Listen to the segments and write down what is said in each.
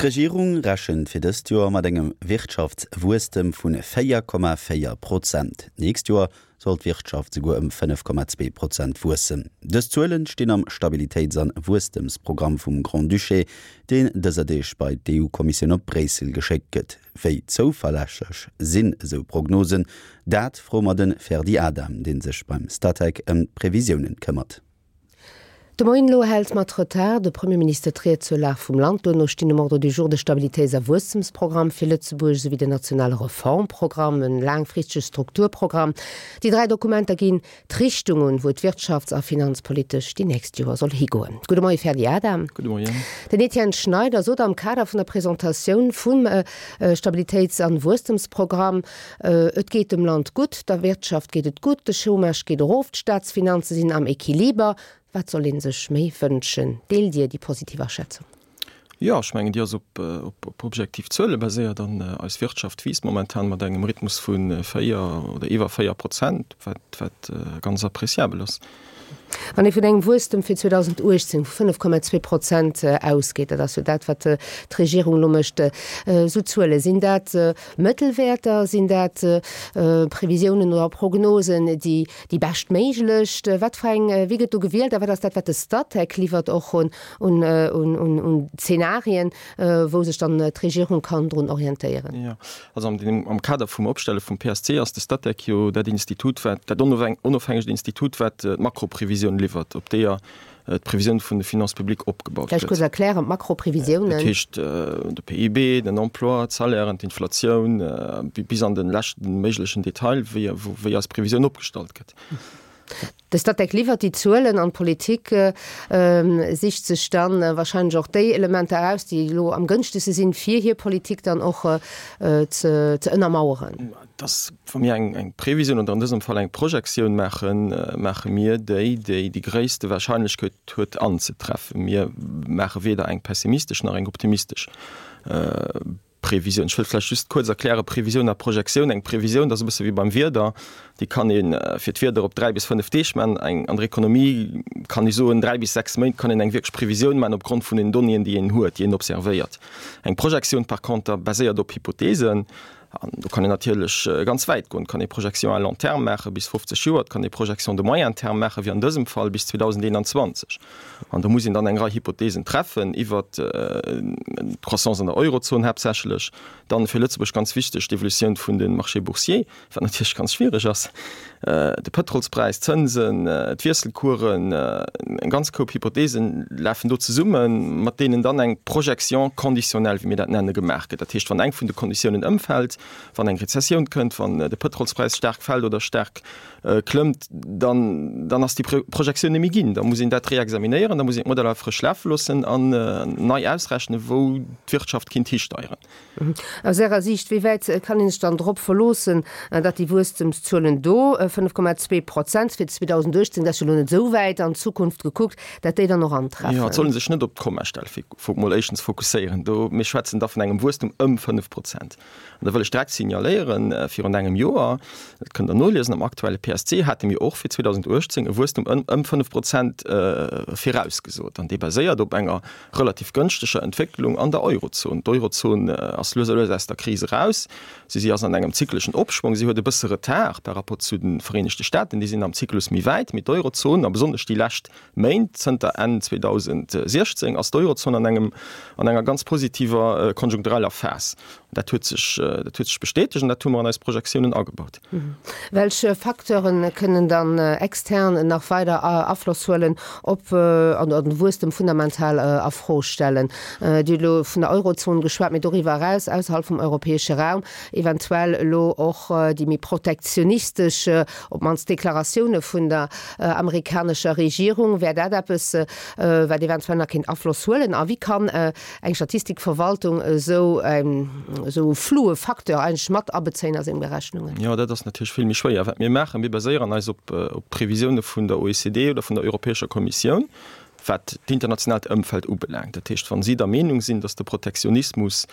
D'Regierung rechent fir dëst Joer mat engem Wirtschaftswuesstem vu 4,4 Prozent. D'nächst Joer soll d'Wirtschaft souguer ëm 5,2 Prozent wuessen. Dës Zuelen stinn am Stabilitéits an Wuesstemsprogramm vum Grand-Duché, deen dëser Deeg bei d'EU-Kommissioun op Bréissel geschéckt gëtt. Wéi zouverlässeg sinn esou Prognosen? Dat froe mer de Ferdy Adam, dee sech beim Statec ëm d'Previsiounen këmmert. De Moien elo hält mat Retard de Premier Minister d'Ried zur Lag vum Land. Duerno stinn um Ordre du jour de Stabilitéits a Wuesstemsprogramm fir Lëtzebuerg esouwéi den nationale Reformprogramm, en laangfristege Strukturprogramm. Déi 3 Dokumenter ginn d'Richtung un, wou d'wirtschafts a finanzpolitesch déi nächst Joer soll higoen. Gudde Moie Ferdy Adam. Gudde Moien. Den Etienne Schneider sot am Kader vun der Presentatioun vum Stabilitéits an Wuesstemsprogramm, Et geet dem Land gutt, der Wirtschaft geet et gutt, de Chômage geet erof, d'Staatsfinanze sinn am Equiliber. Wat soll ee sech méi wënschen? Deelt Dir déi positiv Aschätzung? Jo, ech mengen, déi ass op objektiv Zuele baséiert an eis Wirtschaft wiisst momentan mat engem Rhythmus vu 4 oder iwwer 4 Prozent, wat ganz appréciabel ass. Wann ee vun engem Wuesstem fir 2018 vu 5,2 Prozent ausgeet, dat ass jo dat, wat d'Regierung elo mécht, esou Zuele, sinn dat Mëttelwäerter, sinn dat Previsiounen oder Prognosen, déi déi beschtméiglech? Wat fir eng, wéi gëtt do gewielt a wat ass dat, wat de Statec liwwert och un Zenarien, wou sech dann d'Regierung kann drun orientéieren? Jo, also am Kader vum Opstelle vum PSC ass de Statec jo dat Institut, wat, dat onofhängegt Institut, wat d'Makroprevisioun liwwert, op deeër d'Previsioun vun de Finances publiques opgebaut gëtt. Vläicht kuerz erklären, d'Makroprevisiounen. Dat heescht, de PIB, den Emploi, d'Salairen, d'Inflatioun, bis an de leschte méiglechen Detail, wéi, wéi eis Previsioun opgestallt gëtt. De Statec liwwert déi Zuelen an d'Politik sicht sech da wahrscheinlech och déi Elementer eraus, déi elo am gënschtegste sinn, fir hir Politik dann och ze ënnermaueren. Dass, wa mir eng Previsioun oder an dësem Fall eng Projektioun maachen, maache mir déi, déi déi gréisste Wahrscheinlechkeet huet anzetreffen. Mir maache weder eng pessimistesch nach eng optimistesch Previsioun. Ech wëll vläicht just kuerz erklären, Previsioun a Projektioun. Eng Previsioun, dat ass e bësse wéi beim Wieder, déi kann ee fir d'Wieder op 3 bis 5 Deeg maachen. Eng an der Ekonomie kann ee soen, 3 bis 6 Méint kann een eng wierklech Previsioun maachen opgrond vun den Donnéeën, déi een huet, déi een observéiert. Eng Projektioun par conter baséiert op Hypotheesen. An do kann een natierlech ganz wäit goen. Et kann ee Projection à long terme maache bis 50 Joer, et kann ee Projection de moyen terme maache wéi an dësem Fall bis 2021. An do muss een dann eng Rei Hypotheesen treffen iwwert d'Croissance an der Eurozon haaptsächlech, dann fir Lëtzebuerg ganz wichteg d'Evolutioun vun de Marchés boursiers, wat natierlech ganz schwiereg ass, de Pëtrolspräis, d'Zënsen, d'Wiesselcoursen, eng ganz Koup Hypotheesen lafen do zesummen, mat deenen dann eng Projection conditionnelle, wéi mir dat nenne, gemaach gëtt. Dat heescht, wann eng vun de Konditiounen ëmfält, wann eng Rezessioun kënnt, wann de Pëtrolspräis staark fält oder staark klëmmt, dann, dann ass déi Projektioun net méi ginn. Da muss een dat réexaminéieren, da muss een d'Modeller frësch lafe loossen an nei ausrechnen, wou d'Wirtschaft kinnt histeieren. Aus Ärer Siicht, wéi wäit kann ee sech dann drop verloossen, datt déi Wuesstemszuelen do, 5,2 Prozent fir 2018, dat ass jo elo net esou wäit an d'Zukunft gekuckt, datt déi dann och antreffen? Jo, et soll ee sech net op d'Kommastell mol éischtens fokusséieren. Do, mir schwätzen da vun engem Wuesstum ëm 5 Prozent. An da wëll ech direkt signaléieren, virun engem Joer, dat kënnt Der noliesen am aktuelle PSC, hate mir och fir 2018 e Wuesstum ëm ëm 5 Prozent virausgesot. An dee baséiert op enger relativ gënschteger Entwécklung an der Eurozon. D'Eurozon ass lues a lues aus der Kris eraus. Si si ass an engem zykleschen Opschwong. Si huet e bësse Retard par rapport zu de Vereenegte Staaten. Déi sinn am Zyklus méi wäit. Mee d'Eurozon, a besonnesch déi lescht Méint, zënter Enn 2016, ass d'Eurozon an engem, an enger ganz positiver konjunktureller Phas. Dat huet sech, dat huet sech bestätegt an dat hu mer an eis Projektiounen agebaut. Welch Facteure kënnen dann extern nach weider Afloss huelen op an den Wuesstem fundamental a Fro stellen? Dir hutt elo vun der Eurozon geschwat, mee doriwwer eraus, ausserhalb vum europäesche Raum, eventuell elo och déi méi protektionistesch, op d'mannst Deklaratioune vun der amerikanescher Regierung. Wär dat eppes, wat eventuell nach kéint Afloss huelen? A wéi kann eng Statistikverwaltung esou esou e floue Facteur eigentlech mat abezéien a seng Berechnungen? Jo, dat ass natierlech vill méi schwéier. Wat mir maachen, mir baséieren eis op d'Previsioune vun der OECD oder vun der Europäescher Kommissioun, wat d'internationaalt Ëmfeld ubelaangt. Dat heescht, wa si der Meenung sinn, datt de Protektionismus.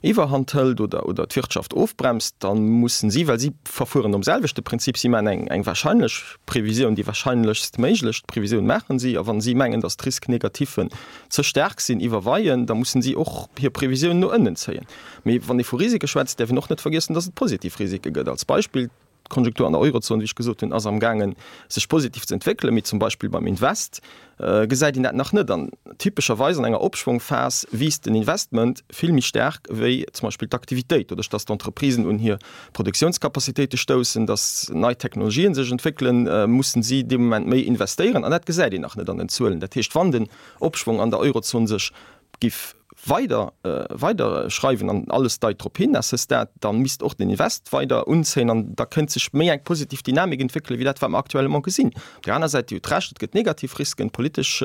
Iwwerhand hëlt oder oder d'Wirtschaft ofbremst, da mussen si, well si verfueren nom selwechte Prinzip, si maachen eng eng wahrscheinlech Previsioun, déi wahrscheinlechst méiglech Previsioun maachen si, a wa si mengen, datt d'Risques négatifen ze staark sinn, iwwerweien, da mussen si och hir Previsioun no ënnen zéien. Mee wann ee vu Risike schwätzt, däerf een och net vergiessen, datt et positiv Risike gëtt. Als Beispill, D'Konjunktur an der Eurozon, wéi ech gesot hunn, ass amgaangen, sech positiv ze entwéckelen, mee zum Beispill beim Invest gesäit een dat nach net. An typescherweis an enger Opschwongphas wiisst den Investment vill méi staark wéi zum Beispill d'Aktivitéit, doduerch datt d'Entreprisen un hir Produktiounscapacitéite stoussen, datt nei Technologien sech entwéckelen, mussen si dee Moment méi investéieren. An dat gesäit een nach net an den Zuelen. Dat heescht, wann den Opschwong an der Eurozon sech giff weider weider schreiwen an alles deit drop hin à ce stade, dann misst och den Invest weider unzéien an da kënnt sech méi eng positiv Dynamik entwéckelen, wéi dat wat mer actuellement gesinn. Op där aner Säit, Dir hutt Recht, et gëtt negativ Risken, politesch,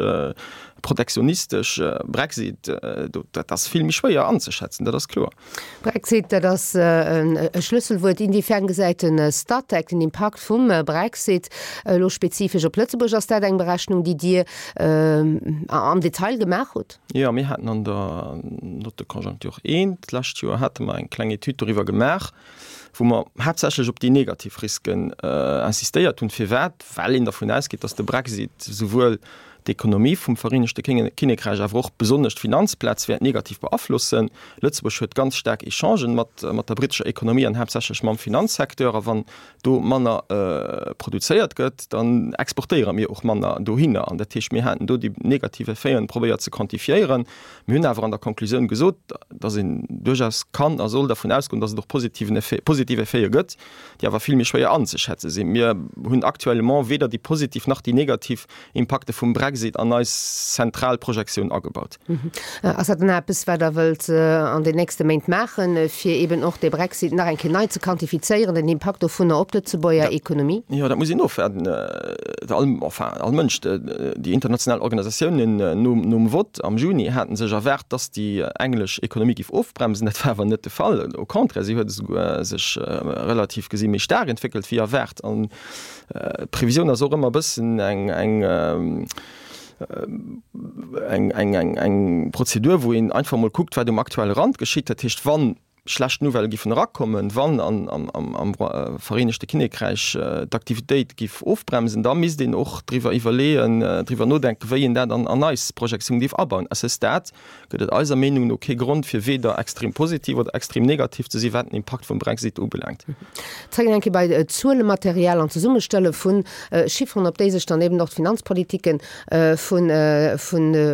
protektionistesch, Brexit, do dat ass vill méi schwéier anzeschätzen, dat ass kloer. Brexit, dat ass e Schlësselwuert. Inwiefern gesäit de Statec den Impakt vum Brexit elo spezifesch op Lëtzebuerg? Ass dat eng Berechnung, déi Dir am Detail gemaach hutt? Jo, mir haten an der Note de conjoncture I d'lescht Joer hate mer eng kleng Etüd doriwwer gemaach, wou mer haaptsächlech op déi negativ Risken insistéiert hunn. Firwat? Well een dervun ausgeet, datt de Brexit souwuel d'Ekonomie vum Vereenegte Kinnekräich awer och besonnesch d'Finanzplaz wäert negativ beaflossen. Lëtzebuerg huet ganz staark Echangen mat der brittescher Ekonomie an haaptsächlech mam Finanzsecteur. A wann do manner produzéiert gëtt, dann exportéiere mir och manner dohinner. An dat heescht, mir haten do déi negativ Effeten probéiert ze quantifiéieren. Mir hunn awer an der Konklusioun gesot, dass een duerchaus kann a soll dervun ausgoen, dass et och positiven Effet, positiv Effete gëtt, déi awer vill méi schwéier anzeschätze sinn. Mir hunn actuellement weder déi positiv nach déi negativ Impakte vum Brexit an eis zentral Projektioun agebaut. Ass dat dann eppes, wat Der wëllt an den nächste Méint maachen, fir eeben och de Brexit nach eng Kéier nei ze quantifizéieren, den Impakt dovunner op d'Lëtzebuerger Ekonomie? Jo, dat muss een ofwaarden. All, enfin, all Mënsch, déi international Organisatiounen nom Vott am Juni hate sech erwaart, dass déi englesch Ekonomie géif ofbremsen. Dat war awer net de Fall. Au contraire, si huet esouguer sech relativ gesi méi staark entwéckelt wéi erwaart. An d'Previsioun ass och ëmmer e bëssen eng, eng, eng, eng, eng, eng Prozedur, wou een einfach emol kuckt, wat um aktuelle Rand geschitt. Dat heescht, wann schlecht Nouvellë giffen erakommen, wann an, am, am, am Vereenegte Kinnekräich d'Aktivitéit giff ofbremsen, da misst een och driwwer iwwerleeën, driwwer nodenken, wéi een dat an, an eis Projektioun géif abauen. À ce stade gëtt et eiser Meenung no kee Grond, fir weder extrem positiv oder extrem negativ ze sinn, wat den Impakt vum Brexit ubelaangt. Zréck eng Kéier bei d'Zuelematerial an d'Zesummestelle vu Chifferen, op déi sech dann eben och d'Finanzpolitike vu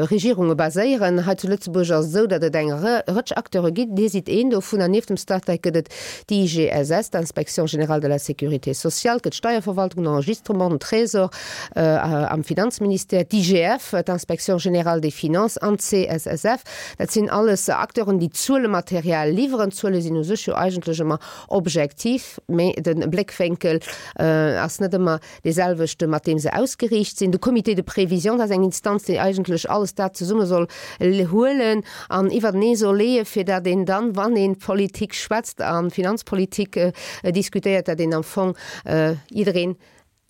Regierunge baséieren. Hei zu Lëtzebuerg ass et esou, datt et eng Rëtsch Acteure ginn. Dir sidd een dovunner. Nieft dem Statec gëtt et d'IGSS, d'Inspection générale de la sécurité sociale, et gëtt d'Steierverwaltung, den Enregistrement, den Trésor am Finanzministère, d'IGF, d'Inspection générale des finances an d'CSSF. Dat sinn alles Acteuren, déi Zuelematerial liwweren. D'Zuele sinn u sech jo eigentlech ëmmer objektiv, mee de Bléckwénkel ass net ëmmer dee selwechte mat deem se ausgeriicht sinn. De Comité de prévision, dat ass eng Instanz, déi eigentlech alles dat zesumme soll huelen an iwwertenee soll leeën, fir datt een dann, wann ee Politik schwätzt a Finanzpolitik diskutéiert, datt een am Fong jiddereen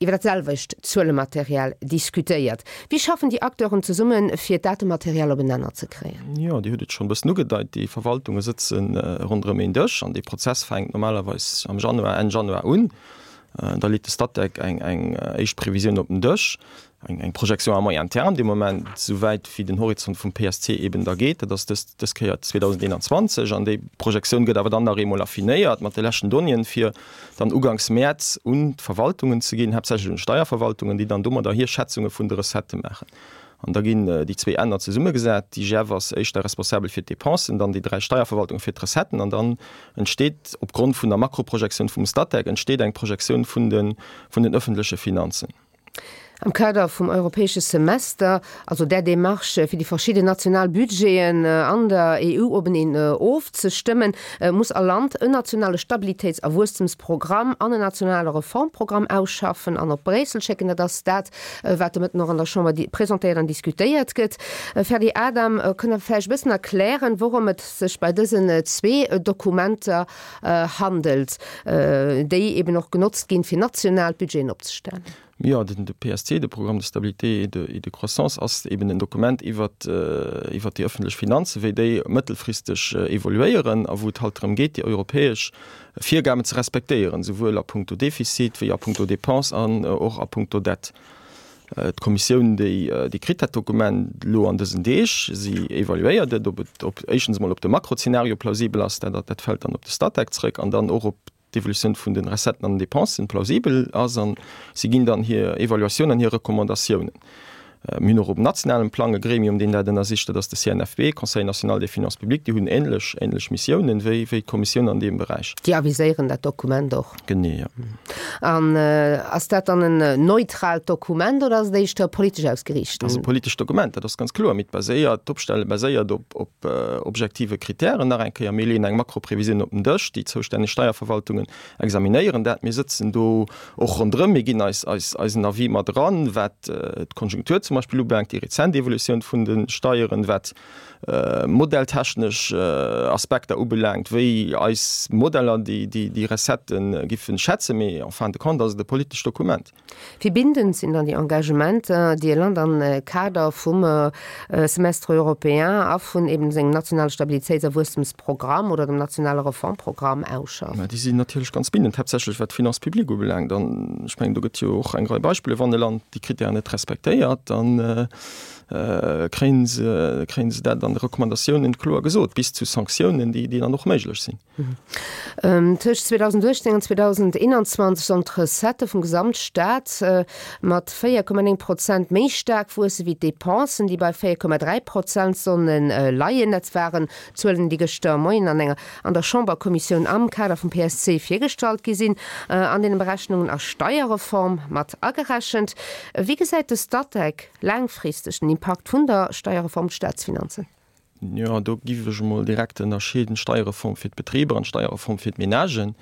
iwwer dat selwecht Zuelematerial diskutéiert. Wéi schaffen déi Acteuren zesummen, fir d'Datematerial op en Nenner ze kréien? Jo, Dir hutt et schonn e bëssen ugedeit, déi Verwaltunge sëtze ronderëm een Dësch an dee Prozess fänkt normalerweis am Januar, Enn Januar un. Da leet de Statec eng éischt Previsioun op den Dësch, eng Projection à moyen terme dee Moment, esouwäit wéi den Horizont vum PSC eben da geet, dat ass dës dës Kéier 2021. An déi Projektioun gëtt awer dann nach eemol affinéiert mat de leschten Donnéeën, fir dann uganks Mäerz un d'Verwaltungen ze ginn, haaptsächlech un d'Steierverwaltungen, déi dann domadder hir Schätzunge vun de Recettë maachen. An da ginn déi zwee Enner zesummegesat. D'IGF ass éischter responsabel fir d'Depensen, dann déi dräi Steierverwaltunge fir d'Recetten. An dann entsteet opgrond vun der Makroprojektioun vum Statec entsteet eng Projektioun vun de vun den öffentleche Finanzen. Am Kader vum europäesche Semester, also där Démarche fir déi verschidden national Budgeten an der EU openeen ofzestëmmen, muss all Land en nationale Stabilitéits a Wuesstemsprogramm an en nationale Reformprogramm ausschaffen an op Bréissel schécken. Dat ass dat, wat de Mëtten och an der Chamber presentéiert an diskutéiert gëtt. Ferdy Adam, kënnt Der vläicht e bëssen erklären, wourëm et sech bei dësen zwee Dokumenter handelt, déi eben och genotzt ginn, fir national Budgeten opzestellen? Jo, den PSC, de Programme de stabilité et de, et de croissance, ass eben en Dokument iwwert, iwwert déi ëffentlech Finanzen, wéi déi mëttelfristeg evoluéieren a wou et halt drëm geet, déi europäesch Virgaben ze respektéieren, souwuel a puncto Defizit wéi a puncto Dépenses an och a puncto Dette. D'Kommissioun, déi, déi kritt dat Dokument elo an dësen Deeg. Si evaluéiert et, ob et, ob éischtens emol op de Makrozeenario plausibel ass, dat, dat fält dann op de Statec zrëck, an dann och op d'Evolutioun vun de Recetten an den Dépensen plausibel ass an si ginn dann hir Evaluatioun an hir Recommandatiounen. Mir hunn och op nationalem Plang e Gremium, deen dat ënnersicht, dat ass de CNFP, Conseil national des finances publiques. Déi hunn ähnlech, ähnlech Missiounen wéi, wéi d'Kommissioun an deem Beräich. Déi aviséieren dat Dokument och. Genee, jo. An ass dat dann en neutraalt Dokument oder ass et éischter politesch ausgeriicht? Dat ass e politescht Dokument, dat ass ganz kloer. Mee et baséiert, d'Opstelle baséiert op, op objektive Kritären. Nach eng Kéier, mir leeën eng Makroprevisioun op den Dësch, déi zoustänneg Steierverwaltungen examinéieren dat. Mir sëtzen do och ronderëm, mir ginn eis eisen Avis mat eran, wat d'Konjunktur zum Beispill ubelaangt, déi rezent Evolutioun vun de Steieren, wat modelltechnesch Aspekter ubelaangt, wéi eis Modeller déi Recettë giffen schätzen. Mee en fin de compte ass et e politescht Dokument. Wéi bindend sinn dann déi Engagementer, déi e Land am Kader vum Semestre européen a vun eben sengem nationale Stabilitéits a Wuesstemsprogramm oder dem nationale Reformprogramm ausschafft? Mä déi sinn natierlech ganz bindend, haaptsächlech wat d'Finances publiques ubelaangt. An ech mengen, do gëtt jo och eng Rei Beispiller, Wann e Land déi Kritären net respektéiert, da kréien se, kréien se dat an de Recommandatiounen kloer gesot, bis zu Sanktiounen, déi dann och méiglech sinn. Tëscht 2018 an 2021 sollen d'Recettë vum Gesamtstaat mat 4,9 Prozent méi staark wuesse wéi d'Depensen, déi bei 4,3 Prozent solle leien. Dat waren Zuelen, déi gëschter Moien an enger an der Chamberkommissioun am Kader vum PSC virgestallt gi sinn. An deene Berechnungen ass d'Steierreform mat agerechent. Wéi gesäit de Statec laangfristeg den Impakt vun der Steierreform op d'Staatsfinanzen? Jo, do giff ech emol direkt ënnerscheeden, d'Steierreform fir d'Betriber an d'Steierreform fir d'Menagen.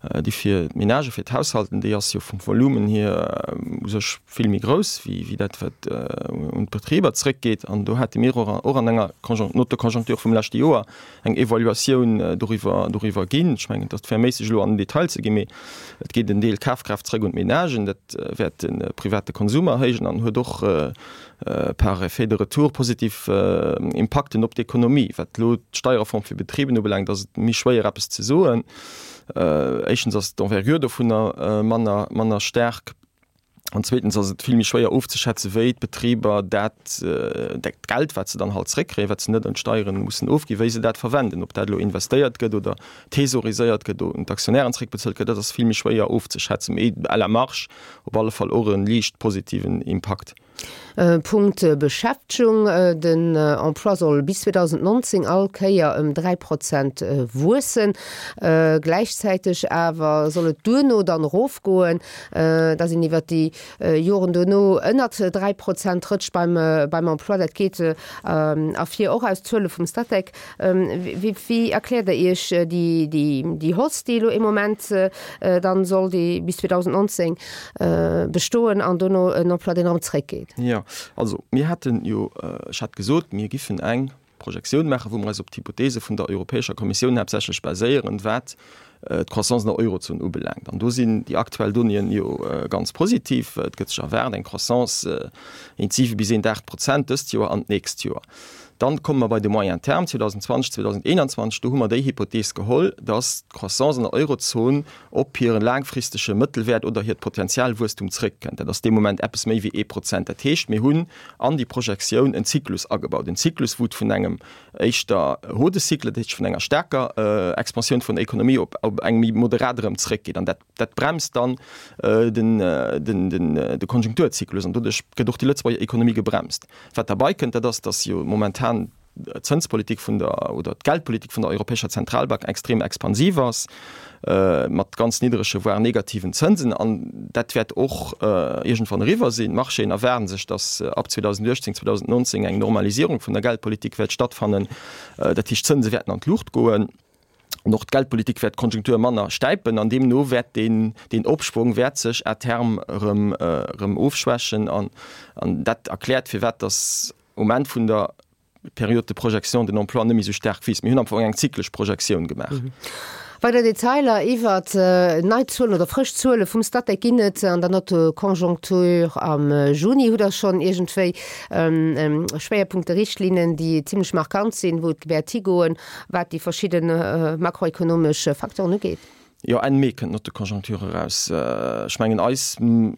Déi fir d'Menagen, fir d'Haushalten, déi ass jo vum Volumen hier u sech vill méi grouss wéi dat, wat un d'Betriber zrëckgeet. An do hate mir och och an enger Note de conjoncture vum leschte Joer eng Evaluatioun doriwwer doriwwer ginn. Ech mengen, et ass verméisseg elo an den Detail ze ginn, mee et geet en Deel Kafkraaft zrëck un d'Menagen. Dat wäert de private Konsum erhéijen an huet och par effet de retour positiv Impakten op d'Ekonomie. Wat elo d'Steierreform fir Betriben ubelaangt, ass et méi schwéier eppes ze soen. Éischtens ass d'Envergure dovunner manner, manner staark an zweetens ass et vill méi schwéier ofzeschätzen, wéi d'Betriber dat, dat Geld, wat se dann halt zréckkréien, wat se net un d'Steieren mussen ofginn, wéi se dat verwenden. Ob dat elo investéiert gëtt oder thesauriséiert gëtt, un d'Aktionären zréckbezuelt gëtt, dat ass vill méi schwéier ofzeschätzen. Mee à la marge op alle Fall och e liicht positiven Impakt. Punkt Beschäftegung, Den Emploi soll bis 2019 all Kéier ëm 3 Prozent wuessen. Gläichzäiteg awer soll et duerno dann erofgoen, dass een iwwert déi Joren duerno ënnert 3 Prozent rëtscht beim Emploi. Dat geet ervir och aus Zuele vum Statec. Wéi erkläert Der Iech déi Hausse, déi elo ee Moment dann soll déi bis 2019 bestoen an dono en Emploi, deen erëm zréckgeet? Jo, also mir haten jo, ech hat gesot, mir giffen eng Projektioun maachen, wou mer eis op d'Hypothese vun der Europäescher Kommissioun haaptsächlech baséieren, wat d'Croissance an der Eurozon ubelaangt. An do sinn déi aktuell Donnéeën jo ganz positiv. Et gëtt sech erwaart eng Croissance éint 7 bis éint 8 Prozent dëst Joer an d'nächst Joer. Dann komme mer bei de Moyen terme, 2020, 2021, do hu mer déi Hypothees geholl, dass d'Croissance an der Eurozon op hire laangfristege Mëttelwäert oder hiert Potenzialwuesstum zrëckkënnt. Dat ass dee Moment eppes méi wéi ee Prozent. Dat heescht, mir hunn an déi Projektioun en Zyklus agebaut, en Zyklus, wou et vun engem éischter Haut de cycle, dat heescht vun enger staarker Expansioun vun der Ekonomie op eng méi moderat erëm zrëckgeet. An dat Dat bremst dann de Konjunkturzyklus an doduerch gëtt och déi Lëtzebuerger Ekonomie gebremst. Wat derbei kënnt, dat ass, datt jo momentan d'Zënspolitik vun der oder d'Geldpolitik vun der Europäescher Zentralbank extrem expansiv ass, mat ganz nidderege voire negativen Zënsen. An dat wäert och iergendwann eriwwer sinn. D'Marchéen erwaarden sech, datt ab 2018, 2019 eng Normalisierung vun der Geldpolitik wäert stattfannen. Dat heescht, d'Zënse wäerten an d'Luucht goen. An och d'Geldpolitik wäert d'Konjunktur manner stäipen an deemno wäert deen, deen Opschwong wäert sech à terme erëm, erëm ofschwächen. An, an dat erkläert, firwat dass um Enn vun der Période de projection den Emploi net méi esou staark wiisst. Mir hunn am Fong eng zyklesch Projektioun gemaach. Weider Detailer iwwert nei Zuelen oder frësch Zuele vum Statec ginn et an der Note Conjoncture am Juni. Hutt Der schonn iergendwéi Schwéierpunkte, Richtlinnen, déi zimlech markant sinn, wou et wäert higoen, wat déi verschidde makroekonomesch Facteuren ugeet? Jo, Enn Mee kënnt d'Note de conjoncture eraus. Ech mengen, eis,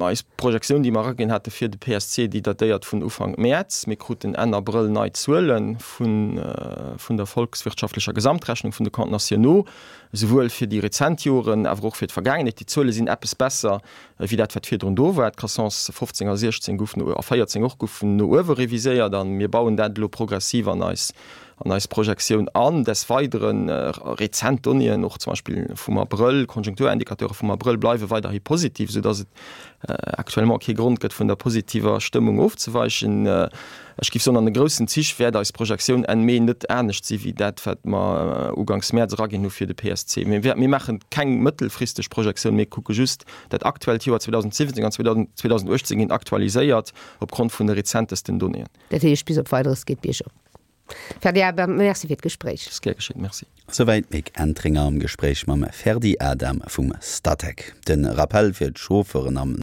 eis Projektioun, déi mer eraginn hate fir de PSC, déi datéiert vun Ufank Mäerz. Mir kruten Enn Abrëll nei Zuele vun, vun der volkswirtschaftlecher Gesamtrechnung vun de Comptes nationaux, esouwuel fir déi rezent Joren, awer och fir d'Vergaangenheet. Déi Zuele sinn eppes besser wéi dat, wat virdrun do war. D'Croissance 15 a 16 goufen, a 14 och, goufen no uewe reviséiert a mir bauen dat elo progressiv an eis, an eis Projektioun an. Des Weideren, rezent Donnéeën, och zum Beispill vum Abrëll, Konjunkturindicateure vum Abrëll bleiwe weiderhi positiv, soudass et actuellement kee Grond gëtt, vun der positiver Stëmmung ofzeweichen. Ech géif soen, an de groussen Zich wäert eis Projektioun Enn Mee net anescht si wéi dat, wat mer uganks Mäerz eraginn hu fir de PSC. Mir maache keng mëttelfristeg Projektioun, mir kucke just dat aktuellt Joer 2017 an 2018 ginn aktualiséiert opgrond vun de rezentesten Donnéeën. Dat heescht, bis op Weideres geet biergop. Ferdi Adam, Merci fir d'Gespréich. Ass gär geschéit, Merci. Souwäit d'Mick Entringer am Gespréich mam Ferdi Adam vum Statec. De Rappell fir d'Chauffeuren am.